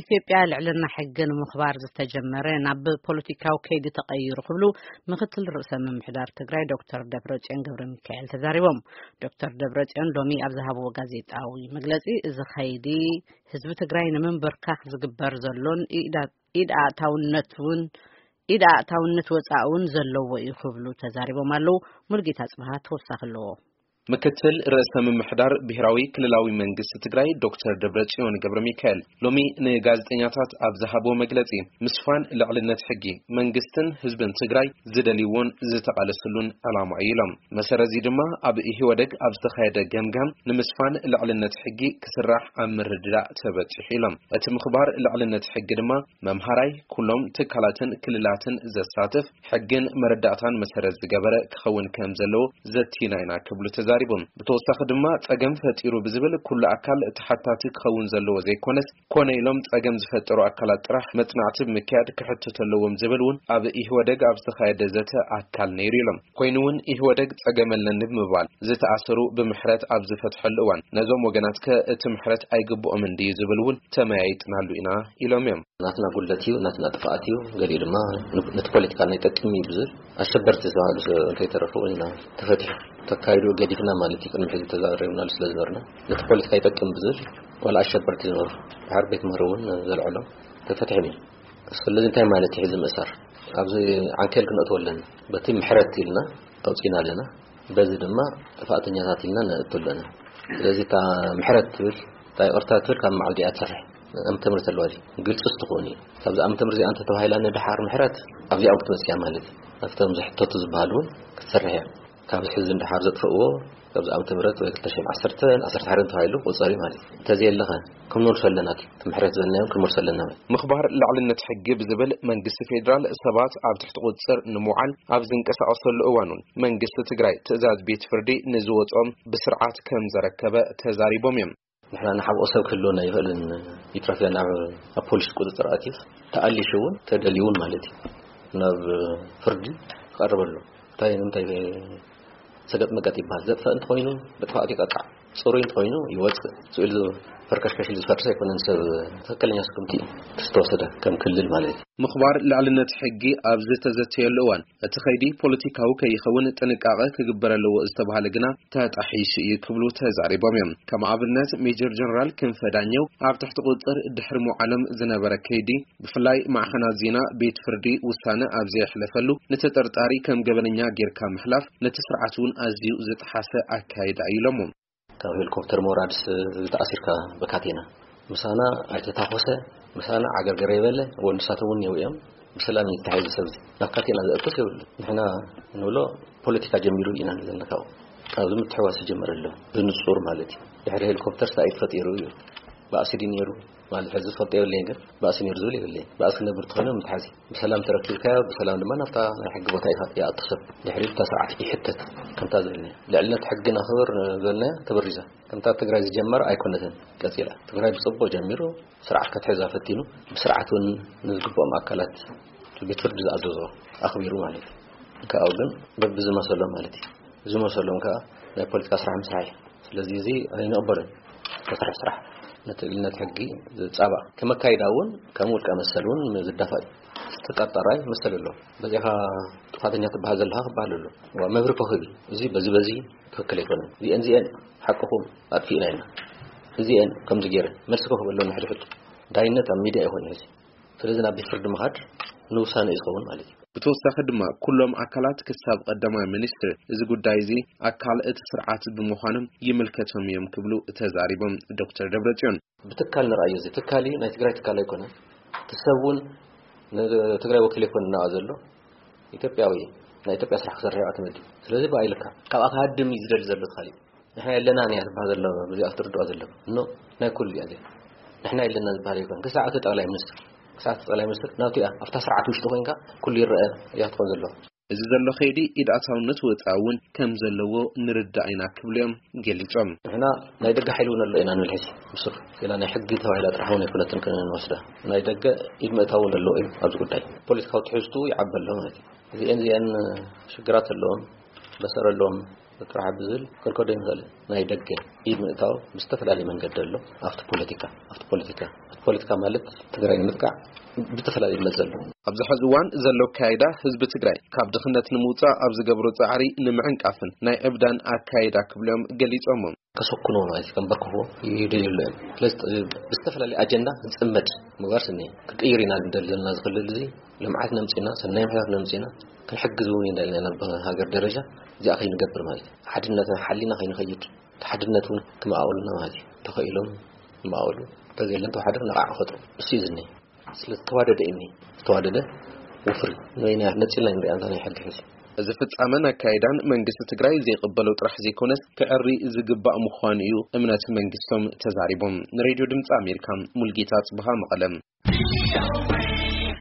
ኢትዮጵያ ልዕልና ሕጊ ንምኽባር ዝተጀመረ ናብ ፖለቲካዊ ከይዲ ተቐይሩ ክብሉ ምክትል ርእሰ ምምሕዳር ትግራይ ዶክተር ደብረጽዮን ገብረ ሚካኤል ተዛሪቦም። ዶክተር ደብረጽዮን ሎሚ ኣብ ዝሃብዎ ጋዜጣዊ መግለጺ፣ እዚ ከይዲ ህዝቢ ትግራይ ንምንብርካኽ ዝግበር ዘሎን ኢድ ኣእታውነት እውን ኢድ ኣእታውነት ወፃእ እውን ዘለዎ እዩ ክብሉ ተዛሪቦም ኣለዉ። ሙልጌታ ጽብሃ ተወሳኺ ኣለዎ። ምክትል ርእሰ ምምሕዳር ብሔራዊ ክልላዊ መንግስቲ ትግራይ ዶክተር ደብረጽዮን ገብረ ሚካኤል ሎሚ ንጋዜጠኛታት ኣብ ዝሃብዎ መግለጺ፣ ምስፋን ልዕልነት ሕጊ መንግስትን ህዝብን ትግራይ ዝደልይዎን ዝተቓለስሉን ዕላማ እዩ ኢሎም። መሰረት እዚ ድማ ኣብ ኢህወደግ ኣብ ዝተኻየደ ገምጋም ንምስፋን ልዕልነት ሕጊ ክስራሕ ኣብ ምርድዳእ ተበጺሑ ኢሎም። እቲ ምኽባር ልዕልነት ሕጊ ድማ መምሃራይ ኩሎም ትካላትን ክልላትን ዘሳትፍ ሕግን መረዳእታን መሰረት ዝገበረ ክኸውን ከም ዘለዎ ዘቲና ኢና ክብሉ ተዛሪቦም። ብተወሳኺ ድማ ጸገም ፈጢሩ ብዝብል ኩሉ ኣካል ተሓታቲ ክኸውን ዘለዎ ዘይኮነስ፣ ኮነ ኢሎም ጸገም ዝፈጠሩ ኣካላት ጥራሕ መጽናዕቲ ብምክያድ ክሕተቱ ኣለዎም ዝብል እውን ኣብ ኢህወደግ ኣብ ዝተኻየደ ዘተ ኣካል ነይሩ ኢሎም። ኮይኑ እውን ኢህወደግ ጸገም ኣለኒ ብምባል ዝተኣሰሩ ብምሕረት ኣብ ዝፈትሐሉ እዋን፣ ነዞም ወገናት ከ እቲ ምሕረት ኣይግብኦምን ድዩ ዝብል እውን ተመያይጥናሉ ኢና ኢሎም እዮም። ናትና ጉድለት እዩ፣ ናትና ጥፍኣት እዩ፣ ገሊኡ ድማ ነቲ ፖለቲካ ናይ ጠቅም እዩ ብዝብል ኣሸበርቲ ዝተባህሉ ሰብ እንተይተረፉ ኢና ተፈቲሑ። ተካይዱ ገዲፍና ማለት እዩ። ቅድሚ ሕዚ ተዛሪብናሉ ስለ ዝነበርና፣ ነቲ ፖለቲካ ይጠቅም ብዝብል ዋላ ኣሸበርቲ ዝነበሩ ድሓር ቤት ምህሮ እውን ዘልዐሎም ተፈቲሖም እዮም። ስለዚ እንታይ ማለት እዩ ሕዚ ምእሳር? ኣብዚ ዓንኬል ክንእትዎ ኣለና። በቲ ምሕረት ኢልና ኣውፂና ኣለና። በዚ ድማ ጥፋእተኛታት ኢልና ነእቱ ኣለና። ስለዚ እታ ምሕረት ትብል፣ እታ ይቕርታ ትብል ካብ መዓል ድኣ ትሰርሕ? ዓመተ ምህረት ኣለዋ ድዩ? ግልፂ ትኾን እዩ። ካብዚ ዓመተ ምህረት እዚኣ እንተተባሂላ ንድሓር ምሕረት ኣብዚኣ እውን ክትመፅእ እያ ማለት እዩ። ኣብቶም ዝሕተቱ ዝበሃሉ እውን ክትሰርሕ እያ። ካብ ሕዚ ንድሓር ዘጥፍእዎ ካብዚ ዓመተ ምህረት ወይ ክልተ ሽሕን ዓሰርተን ዓሰርተ ሓደን ተባሂሉ ቁፀሪ ማለት እዩ። እንተዘየለኸ ክንመልሶ ኣለና፣ እቲ ምሕረት ዝበልናዮም ክንመልሶ ኣለና ማለት እዩ። ምኽባር ልዕልነት ሕጊ ብዝብል መንግስቲ ፌዴራል ሰባት ኣብ ትሕቲ ቁፅር ንምውዓል ኣብ ዝንቀሳቐሰሉ እዋን እውን መንግስቲ ትግራይ ትእዛዝ ቤት ፍርዲ ንዝወፅኦም ብስርዓት ከም ዘረከበ ተዛሪቦም እዮም። ንሕና ንሓብኦ ሰብ ክህልወና ይኽእልን ይትረፍያ ናብ ኣብ ፖሊስ ቁፅፅር ኣትዩ ተኣሊሹ እውን ተደልዩ እውን ማለት እዩ ናብ ፍርዲ ክቐርብ ኣሎ። እንታይ ንምንታይ ሰገጥ መገጥ ይበሃል? ዘጥፈእ እንተኾይኑ ብጥፋኣት ይቀጣዕ፣ ፅሩይ እንተኾይኑ ይወፅእ። ስኡ ኢሉ ፈርከሽከሽ ኢሉ ዝፈርስ ኣይኮነን። ሰብ ትኽክለኛ ስጉምቲ ዝተወሰደ ከም ክልል ማለት እዩ። ምኽባር ልዕልነት ሕጊ ኣብ ዝተዘተየሉ እዋን፣ እቲ ኸይዲ ፖለቲካዊ ከይኸውን ጥንቃቐ ክግበር ኣለዎ ዝተባህለ ግና ተጣሒሱ እዩ ክብሉ ተዛሪቦም እዮም። ከም ኣብነት ሜጀር ጀነራል ክንፈ ዳኘው ኣብ ትሕቲ ቁፅር ድሕሪ ምውዓሎም ዝነበረ ከይዲ፣ ብፍላይ ማዕኸናት ዜና ቤት ፍርዲ ውሳነ ኣብ ዘየሕለፈሉ ንተጠርጣሪ ከም ገበነኛ ጌርካ ምሕላፍ ነቲ ስርዓት እውን ኣዝዩ ዝጠሓሰ ኣካይዳ እዩ ኢሎሞ። ካብ ሄሊኮፕተር ምውራድስ ተኣሲርካ ብካቴና ምሳና ኣይተታኮሰ፣ ምሳና ዓገርገር የበለ፣ ወዲ ንሳቶም እውን ነይሩ እዮም። ብሰላም እዩ ተታሒዙ ሰብ እዚ። ናብ ካቴና ዘእቶስ የብሉ። ንሕና ንብሎ ፖለቲካ ጀሚሩ ኢና ንብል ዘለና ካብኡ። ኣብዚ ምትሕዋስ ይጀመር ኣሎ። ብንጹር ማለት እዩ። ድሕሪ ሄሊኮፕተር ስታይ ተፈጢሩ እዩ። ባእሲ ድዩ ነይሩ? ማለት ሕዚ ዝፈልጦ የብለይን፣ ግን ባእሲ ነይሩ ዝብል የብለይን። ባእሲ ክነብር ተኾይኑ ምትሓዝ እዩ። ብሰላም ተረኪብካዮ፣ ብሰላም ድማ ናብታ ናይ ሕጊ ቦታ ኢኻ ይኣቱ ሰብ። ድሕሪኡ እታ ስርዓት ይሕተት። ከምታ ዝበልናዮ ልዕልነት ሕጊ ነኽብር ዝበልናዮ ተበሪዛ። ከምታ ትግራይ ዝጀመረ ኣይኮነትን ቀጺላ። ትግራይ ብጽቡቕ ጀሚሩ፣ ስርዓት ከትሕዛ ፈቲኑ፣ ብስርዓት እውን ንዝግብኦም ኣካላት ቤት ፍርዲ ዝኣዘዞ ኣኽቢሩ ማለት እዩ። ካብኡ ግን በብዝመሰሎም ማለት እዩ። ዝመሰሎም ከዓ ናይ ፖለቲካ ስራሕ ምስራሕ እዩ። ስለዚ እዚ ኣይንቕበሎን። ዝተሰርሐ ስራሕ ነቲ ልዕልነት ሕጊ ዝጻባእ ከም ኣካይዳ እውን ከም ውልቀ መሰል እውን ዝዳፋእ እዩ። ተጠርጣራይ መሰል ኣሎ። በዚኻ ጥፋተኛ ትበሃል ዘለኻ ክበሃል ኣሎ። ዋ መብሪ ኮኽብ እዩ። እዚ በዚ በዚ ትኽክል ኣይኮነን። እዚአን እዚአን ሓቅኹም ኣጥፊእና ኢና። እዚአን ከምዚ ገይረ መልሲ ኮኽብ ኣለኒ ሕድሕድ ዳይነት ኣብ ሚድያ ይኾን ሕዚ። ስለዚ ናብ ቤት ፍርዲ ምኻድ ንውሳነ እዩ ዝኸውን ማለት እዩ። ብተወሳኺ ድማ ኩሎም ኣካላት ክሳብ ቀዳማይ ሚኒስትር እዚ ጉዳይ እዚ ኣካል እቲ ስርዓት ብምዃኖም ይምልከቶም እዮም ክብሉ ተዛሪቦም ዶክተር ደብረጽዮን። ብትካል ንርኣዮ፣ እዚ ትካል እዩ፣ ናይ ትግራይ ትካል ኣይኮነ። እቲ ሰብ እውን ንትግራይ ወኪል ኣይኮነ እናኣ ዘሎ ኢትዮጵያዊ እዩ። ናይ ኢትዮጵያ ስራሕ ክሰርሕ እዩ ኣትመዲ። ስለዚ ብኣይልካ ካብኣ ክሃድም እዩ ዝደሊ ዘሎ ትኻል እዩ። ንሕና የለናን እያ ዝበሃል ዘሎ፣ በዚኣ ክትርድኦ ዘለዎ። ኖ፣ ናይ ኩሉ እያ እዚኣ። ንሕና የለና ዝበሃል ኣይኮን። ክሳዕ እቲ ጠቕላይ ሚኒስትር፣ ክሳዕ እቲ ጠቕላይ ሚኒስትር ናቱ እያ። ኣብታ ስርዓት ውሽጢ ኮይንካ ኩሉ ይረአ እያ ትኾን ዘለዋ። እዚ ዘሎ ከይዲ ኢድ ኣእታውነት ወፃኢ እውን ከም ዘለዎ ንርዳእ ኢና ክብሉ እዮም ገሊፆም። ንሕና ናይ ደገ ሓይሊ እውን ኣሎ ኢና ንብል ሕዚ። ብሱር ሌላ ናይ ሕጊ ተባሂላ ጥራሕ እውን ኣይኮነትን ክንወስዳ። ናይ ደገ ኢድ ምእታው እውን ኣለዎ እዩ ኣብዚ ጉዳይ። ፖለቲካዊ ትሕዝቱ ይዓቢ ኣሎ ማለት እዩ። እዚአን እዚአን ሽግራት ኣለዎም፣ በሰር ኣለዎም ጥራሕ ብዝብል ክንከዶ ይንኽእል። ናይ ደገ ኢድ ምእታው ብዝተፈላለየ መንገዲ ኣሎ። ኣብቲ ፖለቲካ ኣብቲ ፖለቲካ ኣብቲ ፖለቲካ ማለት ትግራይ ንምጥቃዕ ብዝተፈላለየ ይግለጽ ዘሎ። ኣብዚ ሕዚ እዋን ዘሎ ኣካይዳ ህዝቢ ትግራይ ካብ ድኽነት ንምውፃእ ኣብ ዝገብሮ ፃዕሪ ንምዕንቃፍን ናይ ዕብዳን ኣካይዳ ክብሎም ገሊፆሞ። ከሰኩኖ ማለት ከንበርክኽዎ ይደልዩ ኣለዉ። ስለዚ ብዝተፈላለየ ኣጀንዳ ዝፅመድ ምግባር ስኒ ክቅይር ኢና ንደሊ ዘለና። ዝኽልል እዚ ልምዓት ነምፅና ሰናይ ምሕታት ነምፅና ክንሕግዝ እውን እንዳልና ናብ ሃገር ደረጃ እዚኣ ከይንገብር ማለት ሓድነትና ሓሊና ከይንኸይድ ሓድነት እውን ክመኣወልና ማለት እዩ። ተኸኢሎም ይመኣወሉ። ተዘየለን ተዋሓደር ነቓዕ ክፈጥሩ እሱ እዩ ዝኒ። ስለ ዝተዋደደ እዩ ዝተዋደደ ወፍሪ ንበይና ነፂልና ንሪኣ እንታ ናይ ሕጊ ሕዚ። እዚ ፍጻመን ኣካይዳን መንግስቲ ትግራይ ዘይቅበሎ ጥራሕ ዘይኮነስ ክዕሪ ዝግባእ ምዃኑ እዩ እምነት መንግስቶም ተዛሪቦም። ንሬድዮ ድምፂ ኣሜሪካ ሙልጌታ ጽብሃ መቐለም።